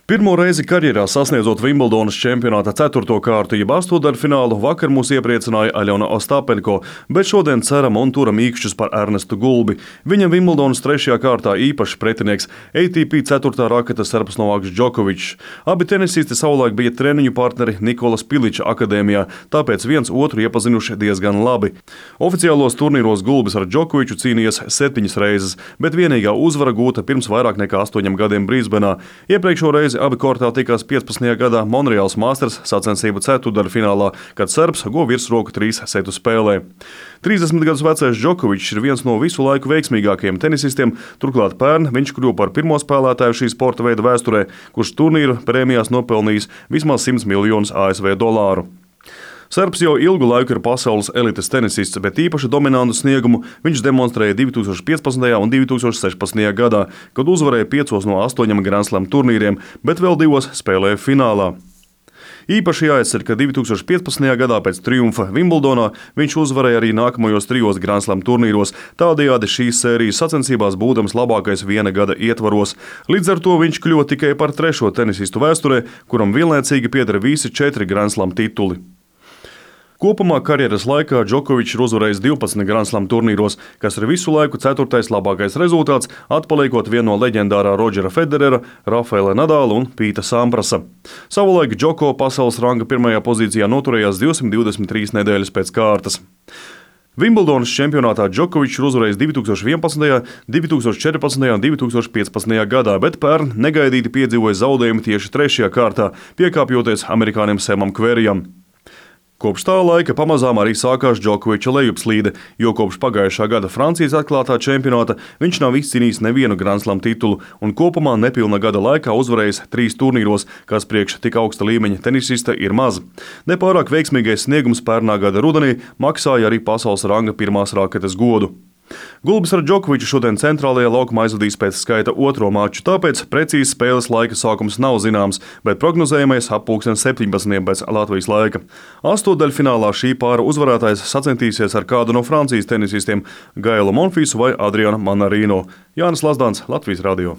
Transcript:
Pirmo reizi karjerā sasniedzot Vimbldonas čempionāta 4. kārtu, jeb astotdaļfinālu, vakar mūs iepriecināja Aļona Ostapenko, bet šodien ceram un turam īkšķus par Ernestu Gulbi. Viņam Vimbldonas 3. kārtā īpašs pretinieks ATP 4. raketas serbs Novaks Džokovičs. Abi tenisisti savulaik bija treniņu partneri Nikolas Piliča akadēmijā, tāpēc viens otru iepazinuši diezgan labi. Oficiālos turnīros Gulbis ar Džokoviču cīnījies 7 reizes, bet vienīgā uzvara gūta pirms vairāk nekā 8 gadiem Brisbenā. Iepriekšo reizi abi kortā tikās 15. gadā Monreāls Masters sacensību ceturtdaļfinālā, kad serbs guva virsroku 3 setu spēlē. 30 gadus vecais Džokovičs ir viens no visu laiku veiksmīgākajiem tenisistiem, turklāt pērn viņš kļuva par pirmo spēlētāju šī sporta veida vēsturē, kurš turnīru prēmijās nopelnījis vismaz 100 miljonus ASV dolāru. Serbs jau ilgu laiku ir pasaules elites tenisists, bet īpaši dominantu sniegumu viņš demonstrēja 2015. un 2016. gadā, kad uzvarēja 5 no 8 Grand Slam turnīriem, bet vēl 2 spēlēja finālā. Īpaši jāizcer, ka 2015. gadā pēc triumfa Vimblodonā viņš uzvarēja arī nākamajos 3 Grand Slam turnīros, tādējādi šīs sērijas sacensībās būdams labākais viena gada ietvaros. Līdz ar to viņš kļuva tikai par 3. tenisistu vēsturē, kuram vienlaicīgi pieder visi 4 Grand Slam tituli. Kopumā karjeras laikā Džokovičs ir uzvarējis 12 Grand Slam turnīros, kas ir visu laiku 4. labākais rezultāts, atpaliekot vienu no leģendārā Rodžera Federera, Rafaela Nadala un Pīta Samprasa. Savulaik Džoko pasaules ranga 1. pozīcijā noturējās 223 nedēļas pēc kārtas. Vimbldonas čempionātā Džokovičs ir uzvarējis 2011., 2014. un 2015. gadā, bet pērn negaidīti piedzīvoja zaudējumu tieši 3. kārtā, piekāpjoties amerikānim Semam Kverijam. Kopš tā laika pamazām arī sākās Džokoviča lejupslīde, jo kopš pagājušā gada Francijas atklātā čempionāta viņš nav izcīnījis nevienu Grand Slam titulu un kopumā nepilna gada laikā uzvarējis 3 turnīros, kas priekš tik augsta līmeņa tenisista ir maz. Nepārāk veiksmīgais sniegums pērnā gada rudenī maksāja arī pasaules ranga 1. raketes godu. Gulbis ar Džokoviču šodien centrālajā laukumā aizvadīs pēc skaita 2. maču, tāpēc precīzi spēles laika sākums nav zināms, bet prognozējamais ap 17. pēc Latvijas laika. Astotdaļfinālā šī pāra uzvarētājs sacentīsies ar kādu no Francijas tenisistiem Gailu Monfīsu vai Adrianu Manarino. Jānis Lazdāns, Latvijas radio.